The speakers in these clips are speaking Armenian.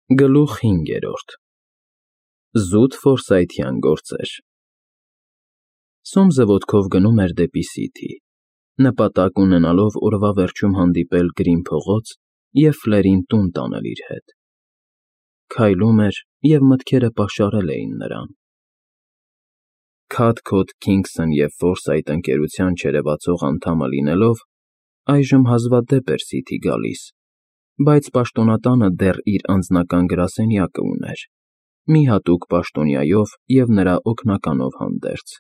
Գլուխ 5 Զուտ ֆորսայթյան գործեր Սոմսը ոտքով գնում էր դեպի Սիթի, նպատակ ունենալով օրվա վերջում հանդիպել Գրին փողոց և Ֆլերին տուն տանել իր հետ։ Քայլում էր, և մտքերը պաշարել էին նրան։ Քաթքոթ Քինգսն և Ֆորսայթ ընկերության չերևացող անդամը լինելով, այժմ հազվադեպ էր Սիթի գալիս, բայց պաշտոնատանը դեռ իր անձնական գրասենյակը ուներ, մի հատուկ պաշտոնյայով և նրա օգնականով հանդերձ,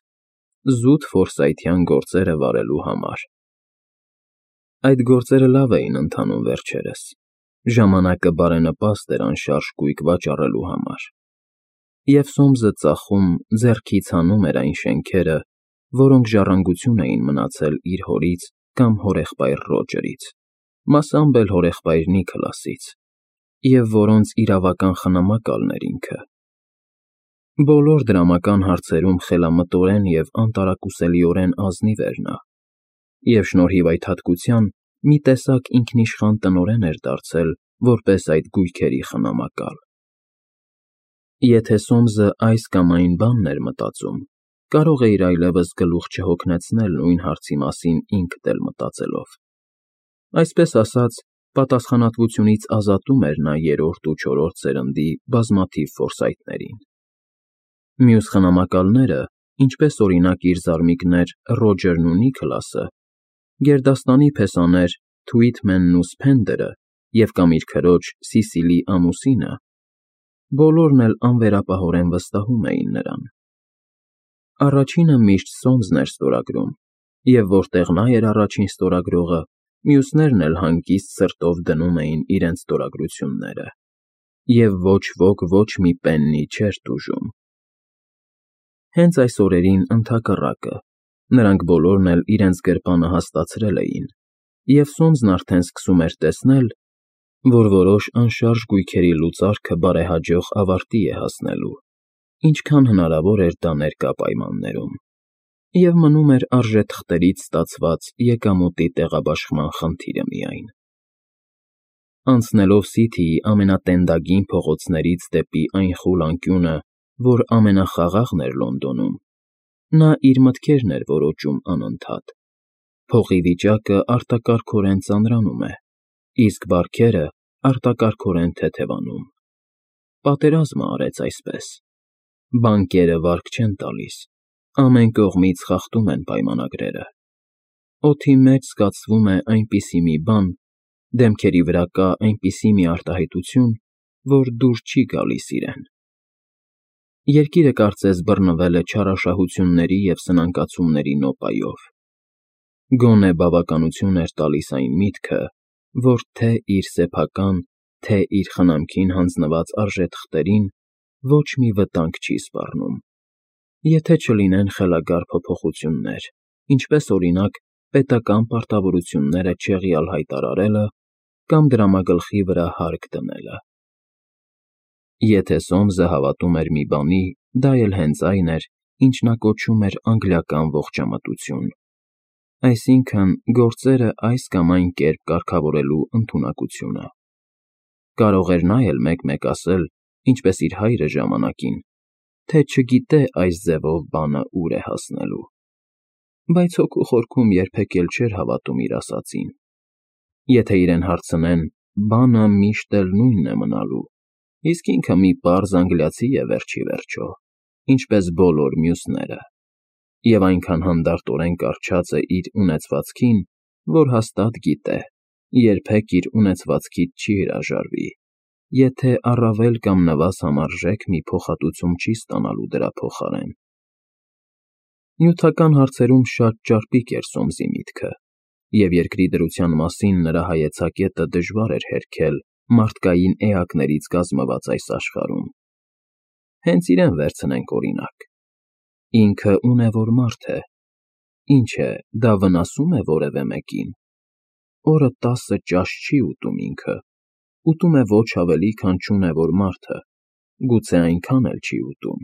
զուտ ֆորսայթյան գործերը վարելու համար։ Այդ գործերը լավ էին ընթանում վերջերս, ժամանակը բարենպաստ էր անշարժ կույք վաճառելու համար, և Սոմսը ծախում, ձեռքից հանում էր այն շենքերը, որոնք ժառանգություն էին մնացել իր հորից կամ հորեղբայր Ռոջերից, մասամբ էլ հորեղբայր Նիքլասից, և որոնց իրավական խնամակալն էր ինքը։ Բոլոր դրամական հարցերում խելամտորեն և անտարակուսելիորեն ազնիվ էր նա, և շնորհիվ այդ հատկության մի տեսակ ինքնիշխան տնօրեն էր դարձել որպես այդ գույքերի խնամակալ։ Եթե Սոմսը այս կամ այն բանն էր մտածում, կարող էր այլևս գլուխ չհոգնեցնել նույն հարցի մասին ինքդ էլ մտածելով։ Այսպես ասած, պատասխանատվությունից ազատում էր նա երրորդ ու չորրորդ սերնդի բազմաթիվ ֆորսայթներին։ Մյուս խնամակալները, ինչպես օրինակ իր զարմիկներ Ռոջերն ու Նիքլասը, գերդաստանի փեսաներ Թուիթմենն ու Սփենդերը և կամ իր քրոջ Սիսիլի ամուսինը, բոլորն էլ անվերապահորեն վստահում էին նրան։ Առաջինը միշտ Սոմսն էր ստորագրում, և որտեղ նա էր առաջին ստորագրողը, մյուսներն էլ հանգիստ սրտով դնում էին իրենց ստորագրությունները, և ոչ ոք ոչ մի պեննի չէր տուժում։ Հենց այս օրերին ընդհակառակը, նրանք բոլորն էլ իրենց գրպանը հասկացրել էին, և Սոմսն արդեն սկսում էր տեսնել, որ որոշ անշարժ գույքերի լուծարքը բարեհաջող ավարտի է հասնելու, ինչքան հնարավոր էր դա ներկա պայմաններում, և մնում էր արժեթղթերից ստացված եկամուտի տեղաբաշխման խնդիրը միայն։ Անցնելով Սիթիի ամենատենդագին փողոցներից դեպի այն խուլ անկյունը, որ ամենախաղաղն էր Լոնդոնում, նա իր մտքերն էր որոճում անընդհատ։ Փողի վիճակը արտակարգորեն ծանրանում է, իսկ բարքերը արտակարգորեն թեթևանում։ Պատերազմը արեց այսպես։ Բանկերը վարկ չեն տալիս, ամեն կողմից խախտում են պայմանագրերը։ Օդի մեջ զգացվում է այնպիսի մի բան, դեմքերի վրա կա այնպիսի մի արտահայտություն, որ դուր չի գալիս իրեն։ Երկիրը կարծես բռնվել է չարաշահությունների և սնանկացումների նոպայով։ Գոնե բավականություն էր տալիս այն միտքը, որ թե՛ իր սեփական, թե՛ իր խնամքին հանձնված արժեթղթերին ոչ մի վտանգ չի սպառնում, եթե չլինեն խելագար փոփոխություններ, ինչպես օրինակ պետական պարտավորությունները չեղյալ հայտարարելը կամ դրամագլխի վրա հարկ դնելը։ Եթե Սոմսը հավատում էր մի բանի, դա էլ հենց այն էր, ինչ նա կոչում էր անգլիական ողջամտություն, այսինքն՝ գործերը այս կամ այն կերպ կարգավորելու ընդունակությունը։ Կարող էր նա էլ մեկ֊մեկ ասել, ինչպես իր հայրը ժամանակին, թե չգիտե այս ձևով բանը ուր է հասնելու, բայց հոգու խորքում երբեք էլ չէր հավատում իր ասածին։ Եթե իրեն հարցնեն, բանը միշտ էլ նույնն է մնալու, իսկ ինքը մի պարզ անգլիացի է վերջիվերջո, ինչպես բոլոր մյուսները, և այնքան հանդարտորեն կառչած է իր ունեցվածքին, որ հաստատ գիտե, երբեք իր ունեցվածքից չի հրաժարվի, եթե առավել կամ նվազ համարժեք մի փոխհատուցում չի ստանալու դրա փոխարեն։ Նյութական հարցերում շատ ճարպիկ էր Սոմսի միտքը, և երկրի դրության մասին նրա հայեցակետը դժվար էր հերքել մարդկային էակներից կազմված այս աշխարհում։ Հենց իրեն վերցնենք օրինակ. ինքը ունևոր մարդ է, ինչ է, դա վնասում է որևէ մեկին։ Օրը 10 ճաշ չի ուտում ինքը, ուտում է ոչ ավելի, քան չունևոր մարդը, գուցե այնքան էլ չի ուտում։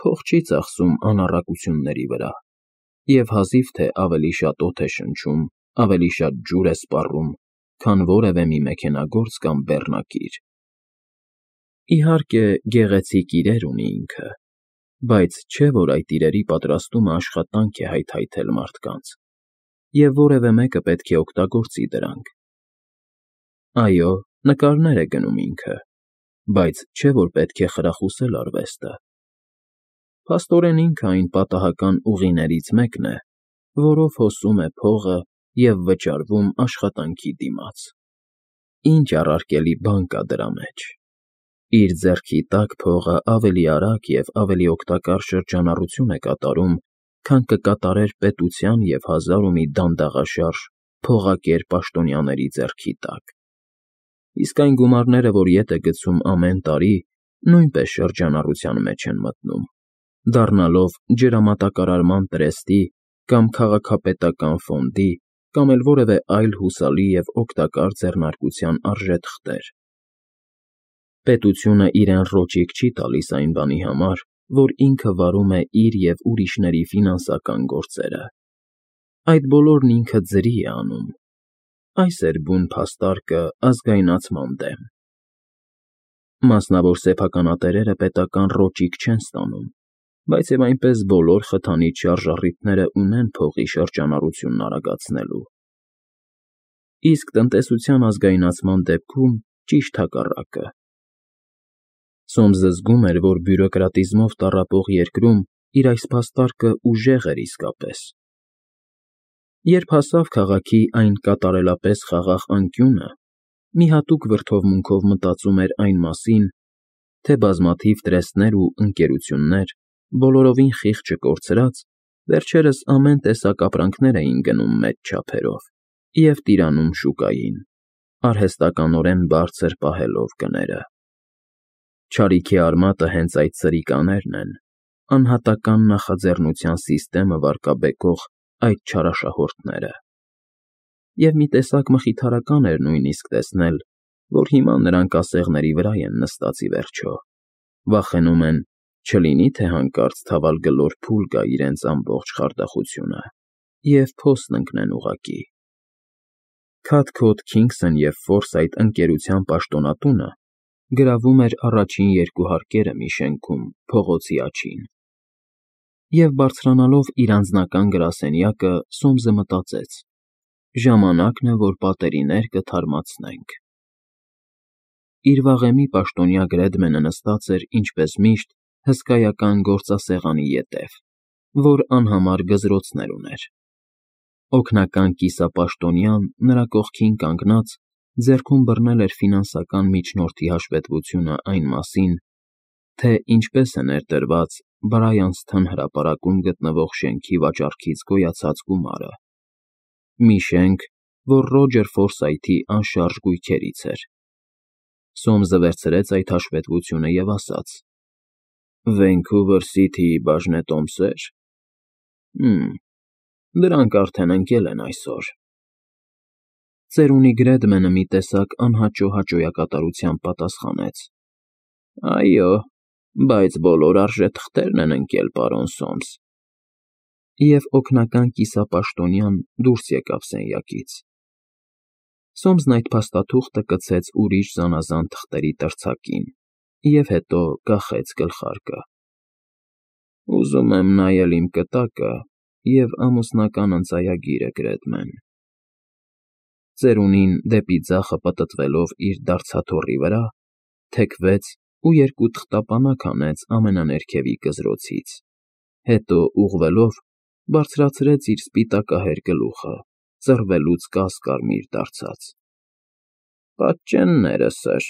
Փող չի ծախսում անառակությունների վրա, և հազիվ թե ավելի շատ օդ է շնչում, ավելի շատ ջուր է սպառում, քան որևէ մի մեքենագործ կամ բեռնակիր։ Իհարկե, գեղեցիկ իրեր ունի ինքը, բայց չէ՞ որ այդ իրերի պատրաստումը աշխատանք է հայթայթել մարդկանց, և որևէ մեկը պետք է օգտագործի դրանք։ Այո, նկարներ է գնում ինքը, բայց չէ՞ որ պետք է խրախուսել արվեստը։ Փաստորեն ինքը այն պատահական ուղիներից մեկն է, որով հոսում է փողը և վճարվում աշխատանքի դիմաց։ Ինչ առարկելի բան կա դրա մեջ։ Իր ձեռքի տակ փողը ավելի արագ և ավելի օգտակար շրջանառություն է կատարում, քան կկատարեր պետության և հազար ու մի դանդաղաշարժ փողակեր պաշտոնյաների ձեռքի տակ։ Իսկ այն գումարները, որ ետ է գցում ամեն տարի, նույնպես շրջանառության մեջ են մտնում, դառնալով ջրամատակարարման տրեստի կամ քաղաքապետական ֆոնդի կամ էլ որևէ այլ հուսալի և օգտակար ձեռնարկության արժեթղթեր։ Պետությունը իրեն ռոճիկ չի տալիս այն բանի համար, որ ինքը վարում է իր և ուրիշների ֆինանսական գործերը։ Այդ բոլորն ինքը ձրի է անում։ Այս էր բուն փաստարկը ազգայնացման դեմ։ Մասնավոր սեփականատերերը պետական ռոճիկ չեն ստանում, բայց և այնպես բոլոր խթանիչ շարժառիթները ունեն փողի շրջանառությունն արագացնելու։ Իսկ տնտեսության ազգայնացման դեպքում ճիշտ հակառակը։ Սոմսը զգում էր, որ բյուրոկրատիզմով տառապող երկրում իր այս փաստարկը ուժեղ էր իսկապես։ Երբ հասավ քաղաքի այն կատարելապես խաղաղ անկյունը, մի հատուկ վրդովմունքով մտածում էր այն մասին, թե բազմաթիվ տրեստներ ու ընկերություններ, բոլորովին խիղճը կորցրած, վերջերս ամեն տեսակ ապրանքներ էին գնում մեծ չափերով և տիրանում շուկային, արհեստականորեն բարձր պահելով գները։ Չարիքի արմատը հենց այդ սրիկաներն են, անհատական նախաձեռնության սիստեմը վարկաբեկող այդ չարաշահորդները։ Եվ մի տեսակ մխիթարական էր նույնիսկ տեսնել, որ հիմա նրանք ասեղների վրա են նստած ի վերջո, վախենում են, չլինի թե հանկարծ թավալգլոր փուլ գա իրենց ամբողջ խարդախությունը, և փոսն ընկնեն ուղղակի։ Քաթքոթ Քինգսն և Ֆորսայթ ընկերության պաշտոնատունը գրավում էր առաջին երկու հարկերը մի շենքում, փողոցի աջին։ Եվ բարձրանալով իր անձնական գրասենյակը, Սոմսը մտածեց. ժամանակն է, որ պատերի ներկը թարմացնենք։ Իր վաղեմի պաշտոնյա Գրեդմենը նստած էր, ինչպես միշտ, հսկայական գործասեղանի ետև, որ անհամար գզրոցներ ուներ։ Օգնական կիսապաշտոնյան նրա կողքին կանգնած ձեռքում բռնել էր ֆինանսական միջնորդի հաշվետվությունը այն մասին, թե ինչպես է ներդրված Բրայանսթոն հրապարակում գտնվող շենքի վաճառքից գոյացած գումարը։ Մի շենք, որ Ռոջեր Ֆորսայթի անշարժ գույքերից էր։ Սոմսը վերցրեց այդ հաշվետվությունը և ասաց. Վենքուվեր Սիթիի բաժնետոմսեր։ Դրանք արդեն ընկել են այսօր։ Ծերունի Գրեդմենը մի տեսակ անհաճո հաճոյակատարությամբ պատասխանեց. Այո, բայց բոլոր արժեթղթերն են ընկել, պարոն Սոմս։ Եվ օգնական կիսապաշտոնյան դուրս եկավ սենյակից։ Սոմսն այդ փաստաթուղթը կցեց ուրիշ զանազան թղթերի տրցակին և հետո կախեց գլխարկը։ Ուզում եմ նայել իմ կտակը և ամուսնական ընծայագիրը, Գրեդմեն։ Ծերունին դեպի ձախը պտտվելով իր դարձաթոռի վրա, թեքվեց ու երկու թղթապանակ հանեց ամենաներքևի գզրոցից, հետո ուղղվելով բարձրացրեց իր սպիտակահեր գլուխը, ծռվելուց կաս֊կարմիր դարձած։ Պատճենները, սըր։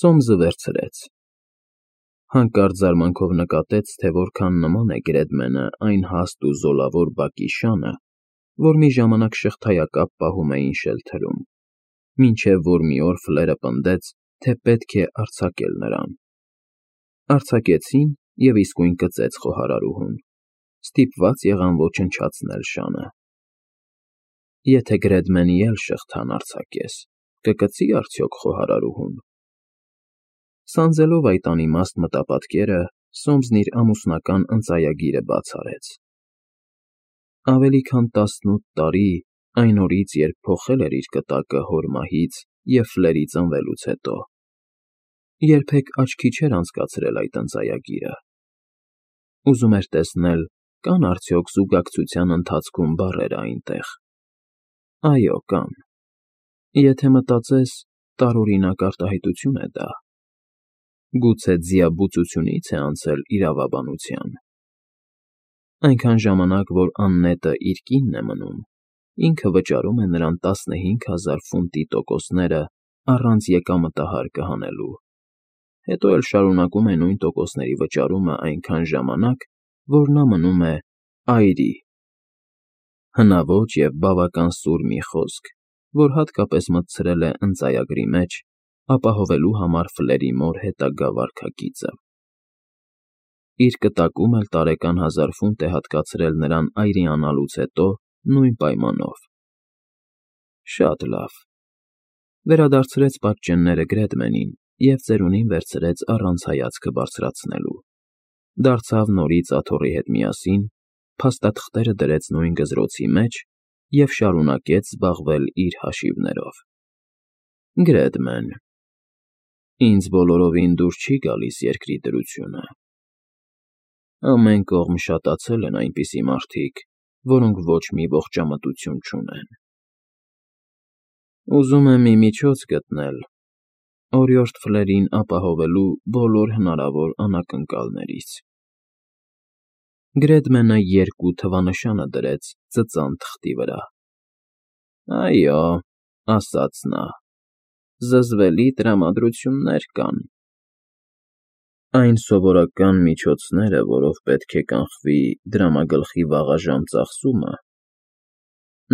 Սոմսը վերցրեց։ Հանկարծ զարմանքով նկատեց, թե որքան նման է Գրեդմենը այն հաստ ու զոլավոր բակի շանը, որ մի ժամանակ շղթայակապ պահում էին շելթերում, մինչև որ մի օր ֆլերը պնդեց, թե պետք է արձակել նրան։ Արձակեցին և իսկույն կծեց խոհարարուհուն, ստիպված եղան ոչնչացնել շանը։ Եթե Գրեդմենի էլ շղթան արձակես, կկծի՞ արդյոք խոհարարուհուն։ Սանձելով այդ անիմաստ մտապատկերը, Սոմսն իր ամուսնական ընծայագիրը բաց արեց։ Ավելի քան 18 տարի այն օրից, երբ փոխել էր իր կտակը հոր մահից և ֆլերի ծնվելուց հետո։ երբեք աչքի չէր անցկացրել այդ ընծայագիրը։ Ուզում էր տեսնել, կան արդյոք զուգակցության ընթացքում բառեր այնտեղ։ Այո, կան։ Եթե մտածես, տարօրինակ արտահայտություն է դա։ Գուցե ձիաբուծությունից է անցել իրավաբանության։ Այնքան ժամանակ, որ աննետը իր կինն է մնում, ինքը վճարում է նրան 15,000 ֆունտի տոկոսները առանց եկամտահարկը հանելու, հետո էլ շարունակում է նույն տոկոսների վճարումը այնքան ժամանակ, որ նա մնում է այրի։ Հնաոճ և բավական սուր մի խոսք, որ հատկապես մտցրել է ընծայագրի մեջ, ապահովելու համար Ֆլերի մոր հետագա վարքագիծը։ Իր կտակում էլ տարեկան 1000 ֆունտ է հատկացրել նրան այրի անալուց հետո նույն պայմանով։ Շատ լավ։ Վերադարձրեց պատճենները Գրեդմենին և ծերունին վերցրեց առանց հայացքը բարձրացնելու։ Դարձավ նորից աթոռի հետ միասին, փաստաթղթերը դրեց նույն գզրոցի մեջ և շարունակեց զբաղվել իր հաշիվներով։ Գրեդմեն, ինձ բոլորովին դուր չի գալիս երկրի դրությունը։ Ամեն կողմ շատացել են այնպիսի մարդիկ, որոնք ոչ մի ողջամտություն չունեն։ Ուզում եմ մի միջոց գտնել օրիորդ Ֆլերին ապահովելու բոլոր հնարավոր անակնկալներից։ Գրեդմենը 2 թվանշանը դրեց ծծան թղթի վրա։ Այո, ասաց նա, զզվելի տրամադրություններ կան։ Այն սովորական միջոցները, որով պետք է կանխվի դրամագլխի վաղաժամ ծախսումը,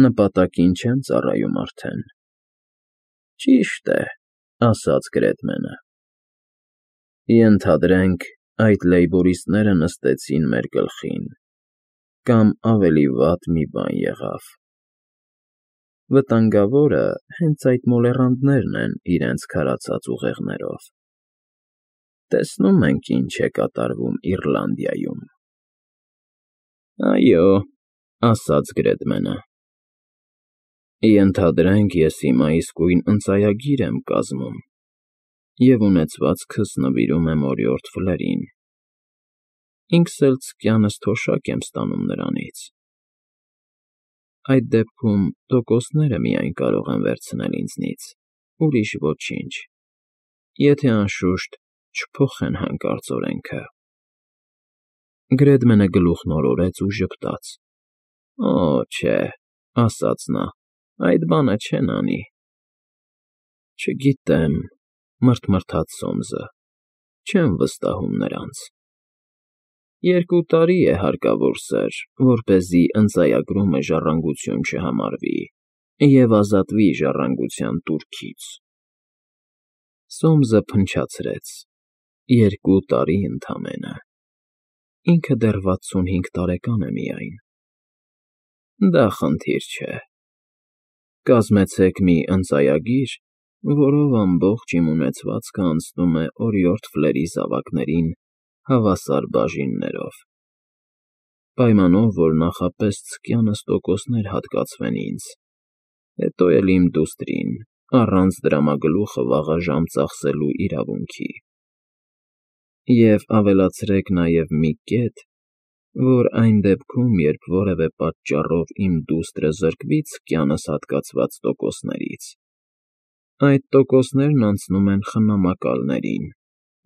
նպատակին չեն ծառայում արդեն։ Ճիշտ է, ասաց Գրեդմենը։ Ենթադրենք, այդ լեյբորիստները նստեցին մեր գլխին, կամ ավելի վատ մի բան եղավ։ Վտանգավորը հենց այդ մոլեռանդներն են իրենց քարացած ուղեղներով։ Տեսնում ենք, ինչ է կատարվում Իռլանդիայում։ Այո, ասաց Գրեդմենը։ Ենթադրենք, ես հիմա իսկույն ընծայագիր եմ կազմում և ունեցվածքս նվիրում եմ օրիորդ Ֆլերին։ Ինքս էլ ձկյանս թոշակ եմ ստանում նրանից։ Այդ դեպքում տոկոսները միայն կարող են վերցնել ինձնից, ուրիշ ոչինչ, եթե անշուշտ չփոխեն հանկարծ օրենքը։ Գրեդմենը գլուխն օրորեց ու ժպտաց։ Օ, չէ, ասաց նա, այդ բանը չեն անի։ Չգիտեմ, մռթմռթաց Սոմսը, չեմ վստահում նրանց։ 2 տարի է հարկավոր, սըր, որպեսզի ընծայագրումը ժառանգություն չհամարվի և ազատվի ժառանգության տուրքից։ Սոմսը փնչացրեց։ 2 տարի ընդամենը։ Ինքը դեռ 65 տարեկան է միայն։ Դա խնդիր չէ։ Կազմեցեք մի ընծայագիր, որով ամբողջ իմ ունեցվածքը անցնում է օրիորդ Ֆլերի զավակներին հավասար բաժիններով, պայմանով, որ նախապես ձկյանս տոկոսներ հատկացվեն ինձ, հետո էլ իմ դուստրին, առանց դրամագլուխը վաղաժամ ծախսելու իրավունքի։ Եվ ավելացրեք նաև մի կետ, որ այն դեպքում, երբ որևէ պատճառով իմ դուստրը զրկվի ձկյանս հատկացված տոկոսներից, այդ տոկոսներն անցնում են խնամակալներին,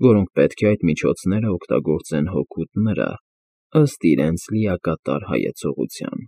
որոնք պետք է այդ միջոցները օգտագործեն հօգուտ նրա, ըստ իրենց լիակատար հայեցողության։